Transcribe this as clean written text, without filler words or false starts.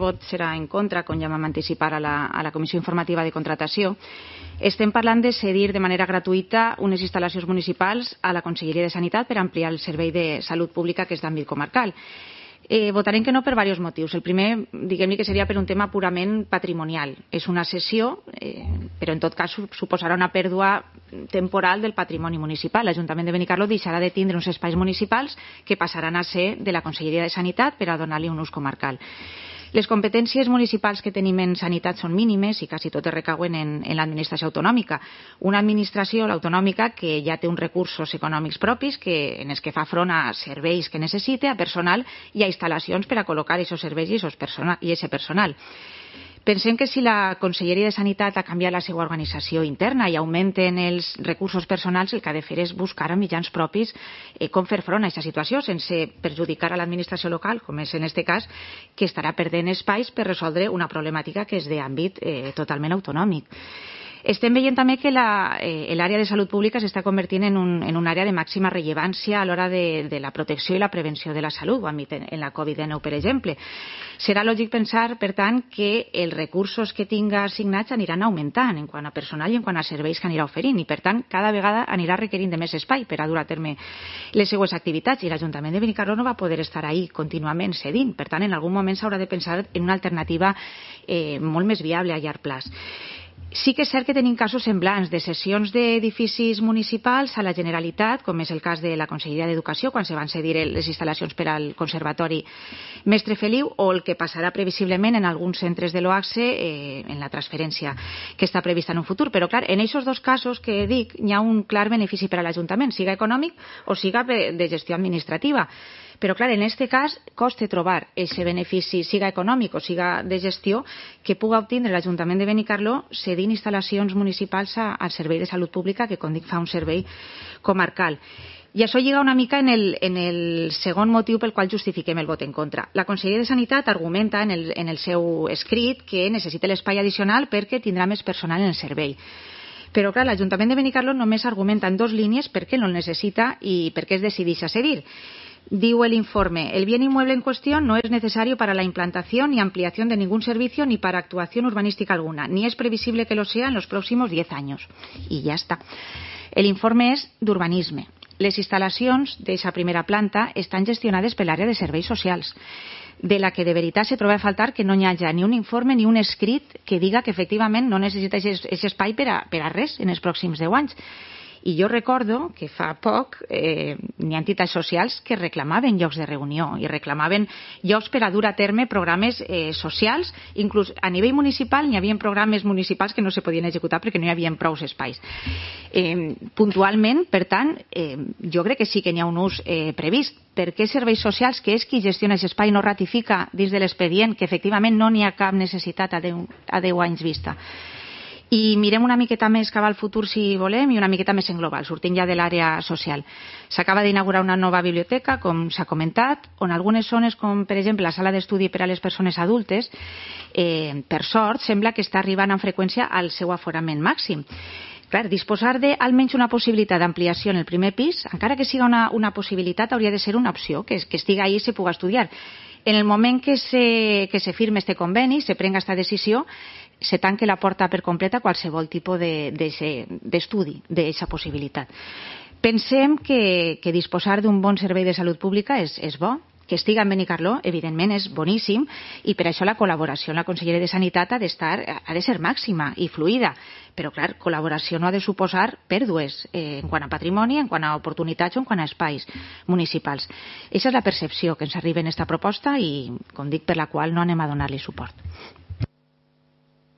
vot serà en contra, com ja vam anticipar a la Comissió Informativa de Contratació. Estem parlant de cedir de manera gratuïta unes instal·lacions municipals a la Conselleria de Sanitat per ampliar el servei de salut pública que és d'àmbit comarcal. Votarem que no per diversos motius. El primer, diguem-ne que seria per un tema purament patrimonial. És una cessió, però en tot cas suposarà una pèrdua temporal del patrimoni municipal. L'Ajuntament de Benicarló deixarà de tindre uns espais municipals que passaran a ser de la Conselleria de Sanitat per a donar-li un ús comarcal. Les competències municipals que tenim en sanitat són mínimes i quasi totes recauen en l'administració autonòmica. Una administració, l'autonòmica, que ja té uns recursos econòmics propis en els que fa front a serveis que necessita, a personal i a instal·lacions per a col·locar aquests serveis i aquest personal. Pensem que si la Conselleria de Sanitat ha canviat la seva organització interna i augmenten els recursos personals, el que ha de fer és buscar a mitjans propis com fer front a aquesta situació sense perjudicar a l'administració local, com és en aquest cas, que estarà perdent espais per resoldre una problemàtica que és d'àmbit totalment autonòmic. Estem veient també que l'àrea de salut pública s'està convertint en una àrea de màxima rellevància a l'hora de la protecció i la prevenció de la salut, ho hem vist en la Covid-19, per exemple. Serà lògic pensar, per tant, que els recursos que tinga assignats aniran augmentant en quant a personal i en quant a serveis que anirà oferint i, per tant, cada vegada anirà requerint de més espai per a dur a terme les seues activitats i l'Ajuntament de Benicarló no va poder estar ahí contínuament cedint. Per tant, en algun moment s'haurà de pensar en una alternativa molt més viable a llarg plaç. Sí que és cert que tenim casos semblants de cessions d'edificis municipals a la Generalitat, com és el cas de la Conselleria d'Educació, quan se van cedir les instal·lacions per al Conservatori Mestre Feliu, o el que passarà previsiblement en alguns centres de l'OACSE en la transferència que està prevista en un futur. Però, clar, en aquests dos casos que dic, hi ha un clar benefici per a l'Ajuntament, siga econòmic o siga de gestió administrativa. Però, clar, en aquest cas costa trobar aquest benefici, siga econòmic o siga de gestió, que puga obtindre l'Ajuntament de Benicarló cedint instal·lacions municipals al servei de salut pública, que, com dic, fa un servei comarcal. I això lliga una mica en el segon motiu pel qual justifiquem el vot en contra. La Conselleria de Sanitat argumenta en el seu escrit que necessita l'espai addicional perquè tindrà més personal en el servei. Però, clar, l'Ajuntament de Benicarló només argumenta en 2 línies per què no el necessita i per què es decideix a cedir. Diu el informe, el bien inmueble en cuestión no es necesario para la implantación ni ampliación de ningún servicio ni para actuación urbanística alguna, ni es previsible que lo sea en los próximos 10 años. I ja està. L'informe és d'urbanisme. Les instal·lacions d'aquesta primera planta estan gestionades per l'àrea de serveis socials, de la que de veritat se troba a faltar que no hi hagi ni un informe ni un escrit que diga que efectivament no necessita aquest espai per a res en els pròxims 10 anys. I jo recordo que fa poc n'hi ha entitats socials que reclamaven llocs de reunió i reclamaven llocs per a dur a terme programes socials. Inclús a nivell municipal n'hi havia programes municipals que no se podien executar perquè no hi havia prou espais. Puntualment, per tant, jo crec que sí que n'hi ha un ús previst. Per què serveis socials, que és qui gestiona aquest espai, no ratifica dins de l'expedient que efectivament no n'hi ha cap necessitat a 10 anys vista? I mirem una miqueta més cap al futur, si volem, i una miqueta més en global, sortint ja de l'àrea social. S'acaba d'inaugurar una nova biblioteca, com s'ha comentat, on algunes zones, com per exemple la sala d'estudi per a les persones adultes, per sort, sembla que està arribant amb freqüència al seu aforament màxim. Clar, disposar d'almenys una possibilitat d'ampliació en el primer pis, encara que siga una possibilitat, hauria de ser una opció, que estigui ahí i se pugui estudiar. En el moment que se firme este conveni, se prenga esta decisió, se tanque la porta per completa a qualsevol tipus d'estudi d'aquesta possibilitat. Pensem que disposar d'un bon servei de salut pública és bo, que estiga en Benicarló, evidentment, és boníssim, i per això la col·laboració amb la Conselleria de Sanitat ha de ser màxima i fluida. Però, clar, col·laboració no ha de suposar pèrdues en quant a patrimoni, en quant a oportunitats o en quant a espais municipals. Aquesta és la percepció que ens arriba en aquesta proposta i, com dic, per la qual no anem a donar-li suport.